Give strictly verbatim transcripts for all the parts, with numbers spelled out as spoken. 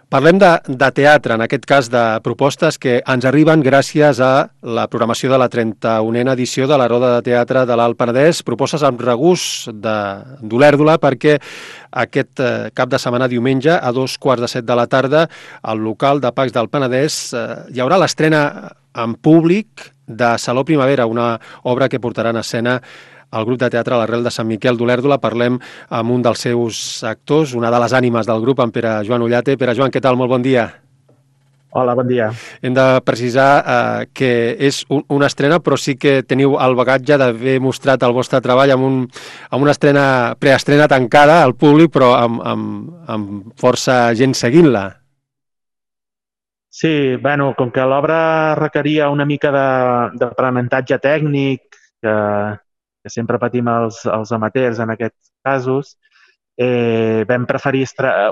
Parlem de, de teatre, en aquest cas de propostes que ens arriben gràcies a la programació de la trenta-unena edició de la Roda de Teatre de l'Alt Penedès, propostes amb regust d'Olèrdola, perquè aquest eh, cap de setmana, diumenge, a dos quarts de set de la tarda, al local de Pacs del Penedès, eh, hi haurà l'estrena en públic de Saló Primavera, una obra que portarà en escena el grup de teatre a l'Arrel de Sant Miquel d'Olèrdola. Parlem amb un dels seus actors, una de les ànimes del grup, en Pere Joan Ullate. Pere Joan, què tal? Molt bon dia. Hola, bon dia. Hem de precisar eh, que és un, una estrena, però sí que teniu el bagatge d'haver mostrat el vostre treball amb, un, amb una estrena, preestrena tancada al públic, però amb, amb, amb força gent seguint-la. Sí, bueno, com que l'obra requeria una mica d'aprenentatge tècnic, que, que sempre patim els, els amateurs en aquests casos, eh, vam preferir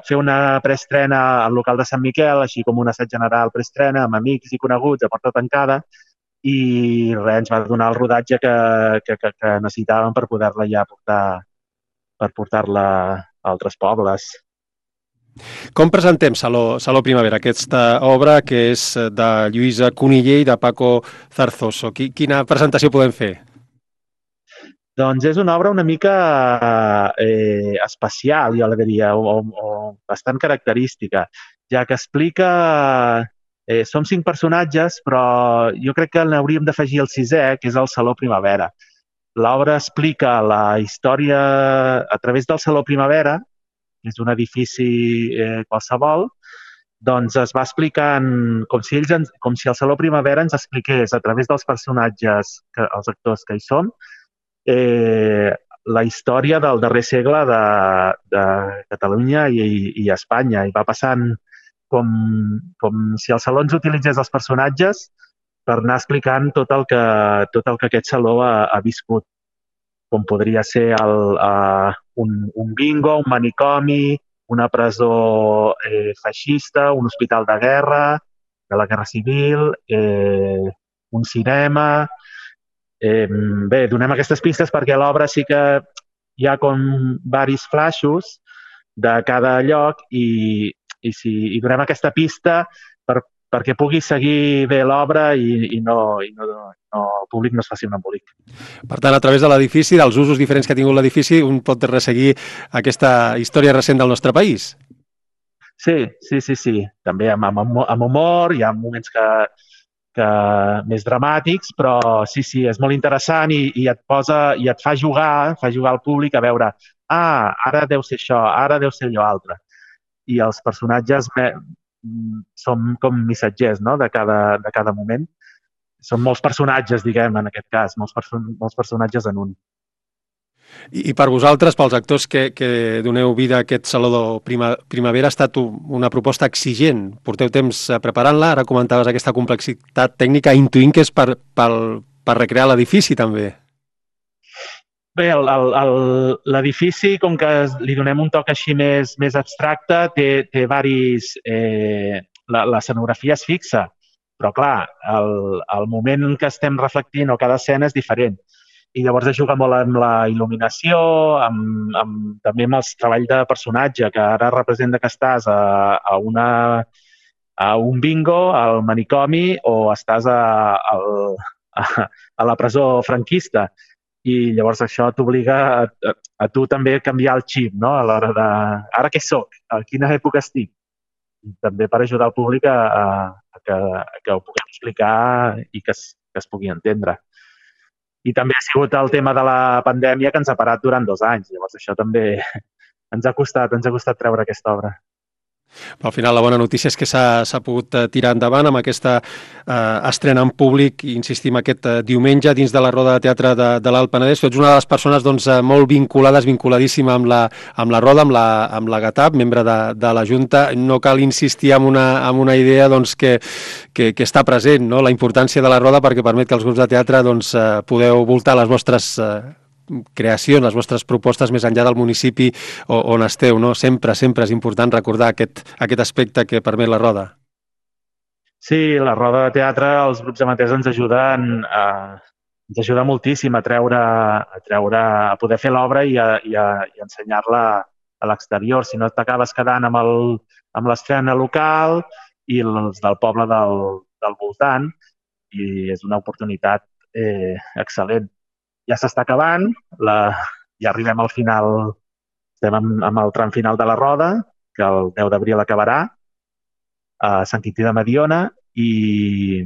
fer una preestrena al local de Sant Miquel, així com un assaig general preestrena, amb amics i coneguts a porta tancada, i res, ens va donar el rodatge que, que, que, que necessitàvem per poder-la ja portar, per portar-la a altres pobles. Com presentem Saló, Saló Primavera, aquesta obra que és de Lluïsa Cuniller i de Paco Zarzoso? Quina presentació podem fer? Doncs és una obra una mica eh, especial, jo la diria, o, o bastant característica, ja que explica... Eh, som cinc personatges, però jo crec que n'hauríem d'afegir el sisè, que és el Saló Primavera. L'obra explica la història a través del Saló Primavera, que és un edifici eh, qualsevol, doncs es va explicant com si, ells ens, com si el Saló Primavera ens expliqués a través dels personatges, que, els actors que hi són, eh, la història del darrer segle de, de Catalunya i, i Espanya. I va passant com, com si el saló ens utilitzés els personatges per anar explicant tot el que, tot el que aquest saló ha, ha viscut. Com podria ser el, uh, un, un bingo, un manicomi, una presó eh, feixista, un hospital de guerra, de la Guerra Civil, eh, un cinema... Eh, bé, donem aquestes pistes perquè a l'obra sí que hi ha com varis flaixos de cada lloc i, i, si, i donem aquesta pista per, perquè pugui seguir bé l'obra i, i, no, i no, no, el públic no es faci un embolic. Per tant, a través de l'edifici, dels usos diferents que ha tingut l'edifici, un pot resseguir aquesta història recent del nostre país. Sí, sí, sí, sí. També amb, amb, amb humor, hi ha moments que, que més dramàtics, però sí, sí, és molt interessant i, i et posa i et fa jugar, fa jugar al públic a veure, ah, ara deu ser això, ara deu ser allò altre. I els personatges són com missatgers, no?, de cada, de cada moment. Són molts personatges, diguem, en aquest cas, molts, perso molts personatges en un. I, i per vosaltres, pels actors que, que doneu vida a aquest Saló de Prima, Primavera, ha estat una proposta exigent. Porteu temps preparant-la, ara comentaves aquesta complexitat tècnica, intuint que és per, per, per recrear l'edifici, també. Bé, l'edifici, com que li donem un toc així més, més abstracte, té, té varis... Eh, l'escenografia és fixa, però clar, el, el moment en què estem reflectint o cada escena és diferent. I llavors es juga molt amb la il·luminació, amb, amb, també amb el treball de personatge, que ara representa que estàs a, a, una, a un bingo, al manicomi, o estàs a, a, a la presó franquista. I llavors això t'obliga a, a, a tu també a canviar el xip, no?, a l'hora de... Ara què soc? A quina època estic? I també per ajudar el públic a, a, a, que, a que ho puguem explicar i que es, que es pugui entendre. I també ha sigut el tema de la pandèmia que ens ha parat durant dos anys. Llavors això també ens ha costat, ens ha costat treure aquesta obra. Però al final la bona notícia és que s'ha pogut tirar endavant amb aquesta eh, estrena en públic, insistim, aquest eh, diumenge dins de la Roda de Teatre de, de l'Alt Penedès. Tu ets una de les persones doncs, molt vinculades, vinculadíssima amb la, amb la Roda, amb la, amb la GATAP, membre de, de la Junta. No cal insistir en una, en una idea doncs, que, que, que està present, no?, la importància de la Roda perquè permet que els grups de teatre doncs, eh, podeu voltar les vostres eh, creacions, les vostres propostes més enllà del municipi on esteu, no? Sempre, sempre és important recordar aquest, aquest aspecte que permet la Roda. Sí, la Roda de Teatre, els grups amateurs ens ajuden a, ens ajuda moltíssim a treure, a treure, a poder fer l'obra i a, i a, i a ensenyar-la a l'exterior. Si no t'acabes quedant amb el, amb l'estrena local i els del poble del, del voltant, i és una oportunitat eh, excel·lent. Ja s'està acabant, la, ja arribem al final, estem amb, amb el tram final de la roda, que el deu d'abril acabarà, a Sant Quintí de Mediona, i,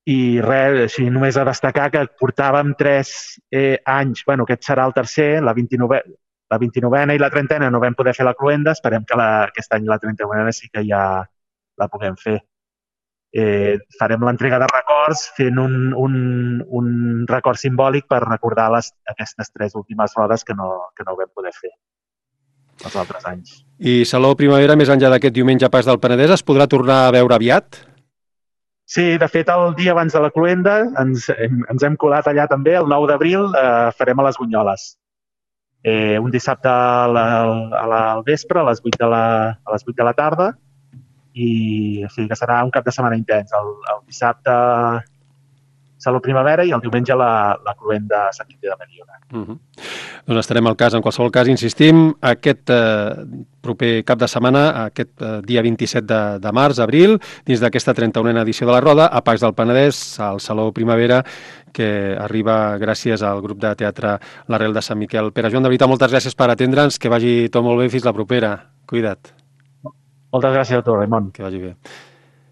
i res, així només a destacar que portàvem tres eh, anys, bueno, aquest serà el tercer, la vint-i-novena, la vint-i-novena i la trentena no vam poder fer la cluenda, esperem que la, aquest any la trenta-novena sí que ja la puguem fer. Eh, farem l'entrega de records fent un, un, un record simbòlic per recordar les, aquestes tres últimes rodes que no, que no vam poder fer els altres anys. I Saló Primavera, més enllà d'aquest diumenge Pas del Penedès, es podrà tornar a veure aviat? Sí, de fet, el dia abans de la cluenda ens, ens hem colat allà també, el nou d'abril eh, farem a les Bunyoles. Eh, un dissabte a la, a la, al vespre, a les vuit de la, a les vuit de la tarda, i o sigui que serà un cap de setmana intens. El, el dissabte Saló Primavera i el diumenge la, la cluenda a Sant Quintí de Mediona. Uh -huh. Doncs estarem al cas. En qualsevol cas, insistim, aquest eh, proper cap de setmana, aquest eh, dia vint-i-set de, de març, abril, dins d'aquesta trenta-unena edició de la Roda, a Pacs del Penedès, al Saló Primavera, que arriba gràcies al grup de teatre L'Arrel de Sant Miquel. Pere Joan, de veritat, moltes gràcies per atendre'ns, que vagi tot molt bé, fins la propera. Cuida't. Moltes gràcies a tu, Raimon. Que vagi bé.